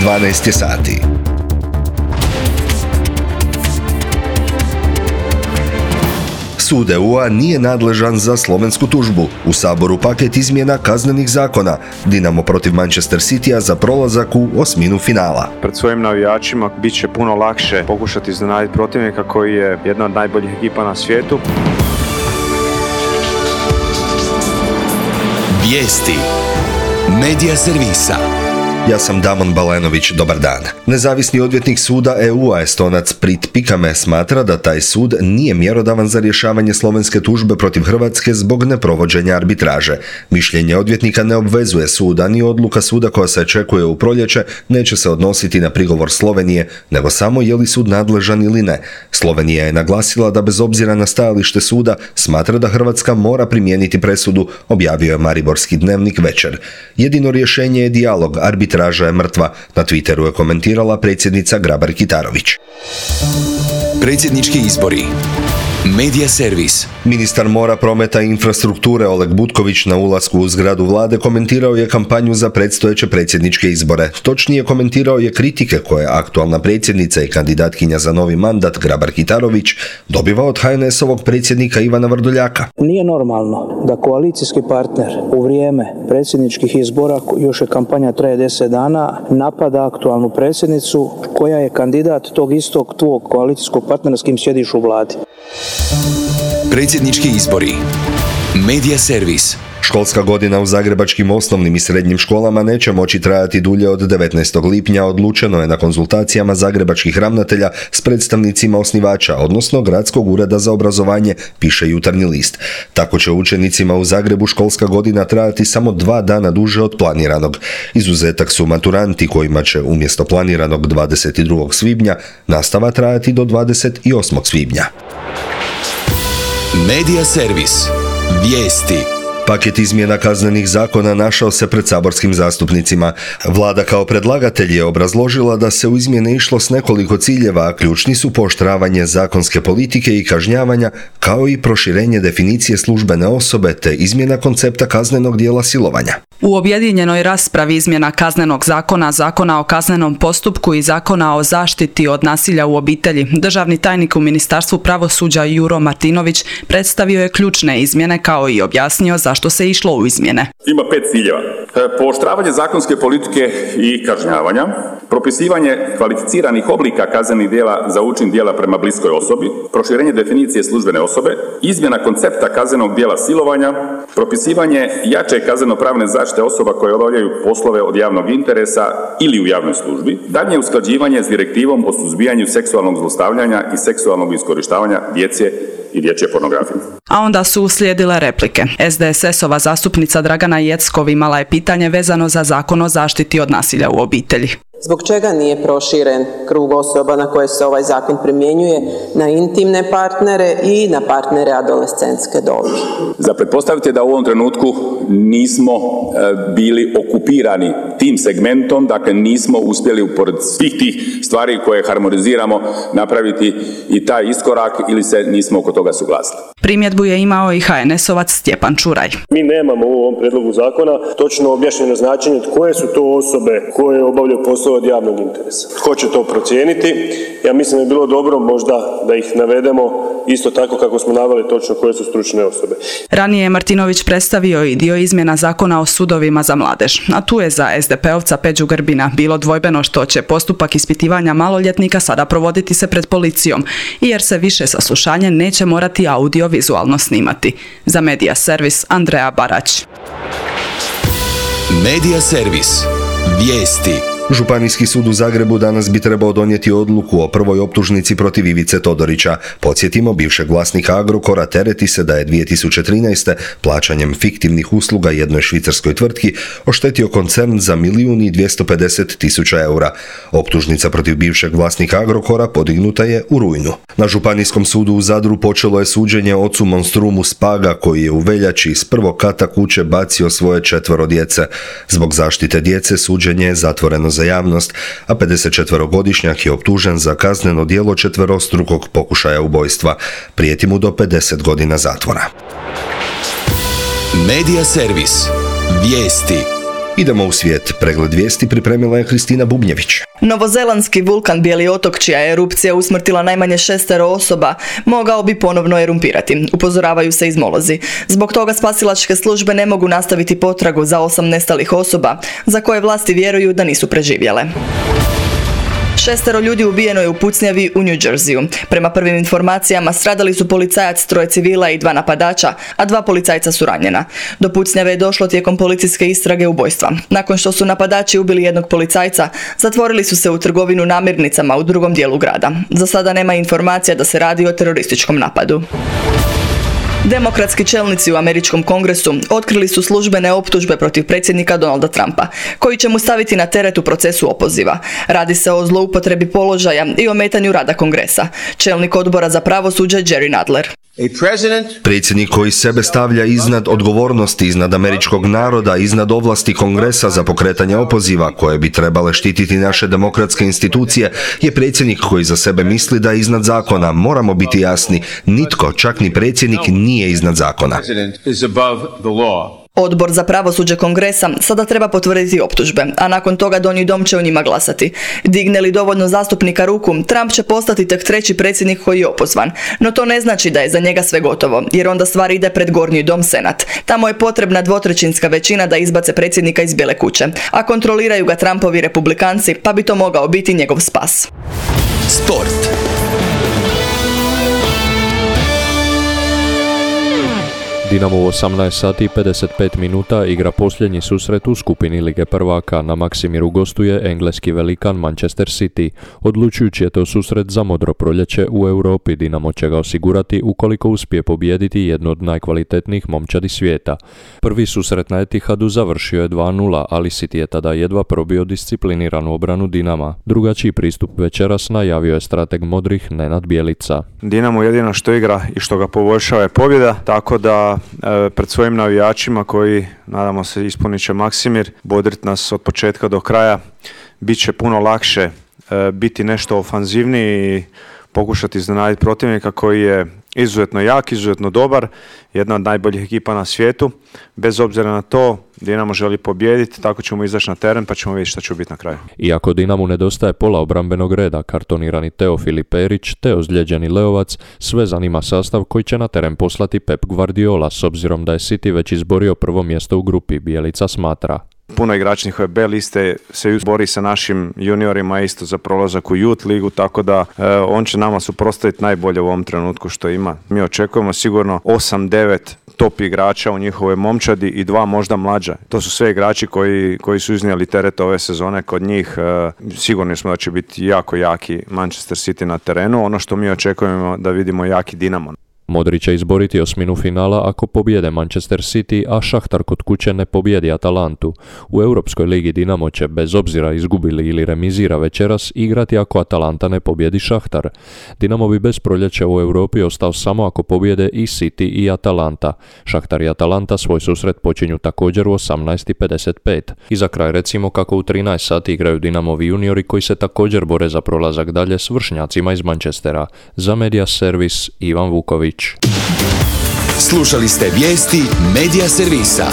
12 je sati. Sud EU-a nije nadležan za slovensku tužbu. U Saboru paket izmjena kaznenih zakona. Dinamo protiv Manchester Citya za prolazak u osminu finala. Pred svojim navijačima bit će puno lakše pokušati iznenaditi protivnika koji je jedna od najboljih ekipa na svijetu. Vijesti Medija servisa. Ja sam Damon Balenović, dobar dan. Nezavisni odvjetnik suda EU-a Estonac Prit Pikame smatra da taj sud nije mjerodavan za rješavanje slovenske tužbe protiv Hrvatske zbog neprovođenja arbitraže. Mišljenje odvjetnika ne obvezuje suda, ni odluka suda koja se očekuje u proljeće neće se odnositi na prigovor Slovenije, nego samo je li sud nadležan ili ne. Slovenija je naglasila da bez obzira na stajalište suda smatra da Hrvatska mora primijeniti presudu, objavio je Mariborski dnevnik Večer. Jedino rješenje je dijalog, arbitraža je mrtva, na Twitteru je komentirala predsjednica Grabar-Kitarović. Predsjednički izbori. Medija servis. Ministar mora, prometa i infrastrukture Oleg Butković na ulasku u zgradu vlade komentirao je kampanju za predstojeće predsjedničke izbore. Točnije, komentirao je kritike koje aktualna predsjednica i kandidatkinja za novi mandat Grabar-Kitarović dobiva od HNS-ovog predsjednika Ivana Vrdoljaka. Nije normalno da koalicijski partner u vrijeme predsjedničkih izbora, još je kampanja traje 10 dana, napada aktualnu predsjednicu koja je kandidat tog istog tvog koalicijskog partnera s kim sjediš u vladi. Predsjednički izbori. Medija servis. Školska godina u zagrebačkim osnovnim i srednjim školama neće moći trajati dulje od 19. lipnja, odlučeno je na konzultacijama zagrebačkih ravnatelja s predstavnicima osnivača, odnosno Gradskog ureda za obrazovanje, piše Jutarnji list. Tako će učenicima u Zagrebu školska godina trajati samo 2 dana duže od planiranog. Izuzetak su maturanti kojima će umjesto planiranog 22. svibnja nastava trajati do 28. svibnja. Medija servis. Vijesti. Paket izmjena kaznenih zakona našao se pred saborskim zastupnicima. Vlada kao predlagatelj je obrazložila da se u izmjene išlo s nekoliko ciljeva, a ključni su pooštravanje zakonske politike i kažnjavanja, kao i proširenje definicije službene osobe te izmjena koncepta kaznenog djela silovanja. U objedinjenoj raspravi izmjena kaznenog zakona, Zakona o kaznenom postupku i Zakona o zaštiti od nasilja u obitelji, državni tajnik u Ministarstvu pravosuđa Juro Martinović predstavio je ključne izmjene kao i objasnio zašto se išlo u izmjene. Ima 5 ciljeva. Pooštravanje zakonske politike i kažnjavanja, propisivanje kvalificiranih oblika kaznenih djela za učin djela prema bliskoj osobi, proširenje definicije službene osobe, izmjena koncepta kaznenog djela silovanja, propisivanje jače kazneno-pravne zaštite osoba koje obavljaju poslove od javnog interesa ili u javnoj službi, daljnje usklađivanje s direktivom o suzbijanju seksualnog zlostavljanja i seksualnog iskorištavanja djece i dječje pornografije. A onda su uslijedile replike. SDSS-ova zastupnica Dragana Jeckov imala je pitanje vezano za Zakon o zaštiti od nasilja u obitelji. Zbog čega nije proširen krug osoba na koje se ovaj zakon primjenjuje na intimne partnere i na partnere adolescentske dobi? Za pretpostaviti je da u ovom trenutku nismo bili okupirani tim segmentom, dakle nismo uspjeli pored svih tih stvari koje harmoniziramo napraviti i taj iskorak ili se nismo oko toga suglasili. Primjedbu je imao i HNS-ovac Stjepan Čuraj. Mi nemamo u ovom predlogu zakona točno objašnjeno značenje koje su to osobe koje obavljaju poslove od javnog interesa. Tko će to procijeniti? Ja mislim da je bilo dobro možda da ih navedemo isto tako kako smo naveli točno koje su stručne osobe. Ranije je Martinović predstavio i dio izmjena Zakona o sudovima za mladež, a tu je za SDP-ovca Peđu Grbina bilo dvojbeno što će postupak ispitivanja maloljetnika sada provoditi se pred policijom, jer se više saslušanje neće morati audiovizualno snimati. Za Medija servis Andreja Barać. Medija servis. Vijesti. Županijski sud u Zagrebu danas bi trebao donijeti odluku o prvoj optužnici protiv Ivice Todorića. Podsjetimo, bivšeg vlasnika Agrokora tereti se da je 2013. plaćanjem fiktivnih usluga jednoj švicarskoj tvrtki oštetio koncern za 1.250.000 eura. Optužnica protiv bivšeg vlasnika Agrokora podignuta je u rujnu. Na Županijskom sudu u Zadru počelo je suđenje ocu monstrumu Spaga koji je u veljači iz prvog kata kuće bacio svoje 4 djece. Zbog zaštite djece suđenje je zatvoreno za javnost, a 54-godišnjak je optužen za kazneno djelo 4-strukog pokušaja ubojstva. Prijeti mu do 50 godina zatvora. Medija servis. Vijesti. Idemo u svijet. Pregled vijesti pripremila je Kristina Bubnjević. Novozelandski vulkan Bijeli otok, čija je erupcija usmrtila najmanje 6 osoba, mogao bi ponovno erumpirati, upozoravaju se izmolozi. Zbog toga spasilačke službe ne mogu nastaviti potragu za 8 nestalih osoba, za koje vlasti vjeruju da nisu preživjele. 6 ljudi ubijeno je u pucnjavi u New Jerseyu. Prema prvim informacijama stradali su policajac, 3 civila i 2 napadača, a 2 policajca su ranjena. Do pucnjave je došlo tijekom policijske istrage ubojstva. Nakon što su napadači ubili jednog policajca, zatvorili su se u trgovinu namirnicama u drugom dijelu grada. Za sada nema informacija da se radi o terorističkom napadu. Demokratski čelnici u američkom kongresu otkrili su službene optužbe protiv predsjednika Donalda Trumpa, koji će mu staviti na teret u procesu opoziva. Radi se o zloupotrebi položaja i ometanju rada kongresa. Čelnik odbora za pravosuđe Jerry Nadler. Predsjednik koji sebe stavlja iznad odgovornosti, iznad američkog naroda, iznad ovlasti kongresa za pokretanje opoziva koje bi trebale štititi naše demokratske institucije, je predsjednik koji za sebe misli da je iznad zakona. Moramo biti jasni, nitko, čak ni predsjednik, nije iznad zakona. Odbor za pravosuđe kongresa sada treba potvrditi optužbe, a nakon toga Donji dom će o njima glasati. Digne li dovoljno zastupnika ruku, Trump će postati tek 3. predsjednik koji je opozvan. No to ne znači da je za njega sve gotovo, jer onda stvar ide pred Gornji dom, Senat. Tamo je potrebna 2/3 većina da izbace predsjednika iz Bijele kuće, a kontroliraju ga Trumpovi republikanci, pa bi to mogao biti njegov spas. Sport. Dinamo u 18 sati i 55 minuta igra posljednji susret u skupini Lige prvaka. Na Maksimiru gostuje engleski velikan Manchester City. Odlučujući je to susret za modro proljeće u Europi. Dinamo će ga osigurati ukoliko uspije pobijediti jednu od najkvalitetnijih momčadi svijeta. Prvi susret na Etihadu završio je 2:0, ali City je tada jedva probio discipliniranu obranu Dinama. Drugačiji pristup večeras najavio je strateg modrih Nenad Bjelica. Dinamo jedino što igra i što ga poboljšava je pobjeda, tako da pred svojim navijačima koji, nadamo se, ispunit će Maksimir, bodrit nas od početka do kraja, bit će puno lakše biti nešto ofanzivniji i pokušati iznenaditi protivnika koji je izuzetno jak, izuzetno dobar, jedna od najboljih ekipa na svijetu. Bez obzira na to, Dinamo želi pobijediti, tako ćemo izaći na teren pa ćemo vidjeti šta će biti na kraju. Iako Dinamu nedostaje pola obrambenog reda, kartonirani Teofili Perić te ozlijeđeni Leovac, sve zanima sastav koji će na teren poslati Pep Guardiola, s obzirom da je City već izborio prvo mjesto u grupi, Bjelica smatra. Puno igrača njihove B liste se bori sa našim juniorima isto za prolazak u Youth ligu, tako da on će nama suprotstaviti najbolje u ovom trenutku što ima. Mi očekujemo sigurno 8-9 top igrača u njihovoj momčadi i 2 možda mlađa. To su sve igrači koji su iznijeli teret ove sezone kod njih. Sigurni smo da će biti jako jaki Manchester City na terenu. Ono što mi očekujemo da vidimo jaki Dinamo. Modri će izboriti osminu finala ako pobijede Manchester City, a Šahtar kod kuće ne pobijedi Atalantu. U Europskoj ligi Dinamo će, bez obzira izgubili ili remizira večeras, igrati ako Atalanta ne pobijedi Šahtar. Dinamo bi bez proljeća u Europi ostao samo ako pobijede i City i Atalanta. Šahtar i Atalanta svoj susret počinju također u 18:55. I za kraj recimo kako u 13 sati igraju Dinamovi juniori koji se također bore za prolazak dalje s vršnjacima iz Manchestera. Za Media Servis Ivan Vuković. Slušali ste vijesti Media Servisa.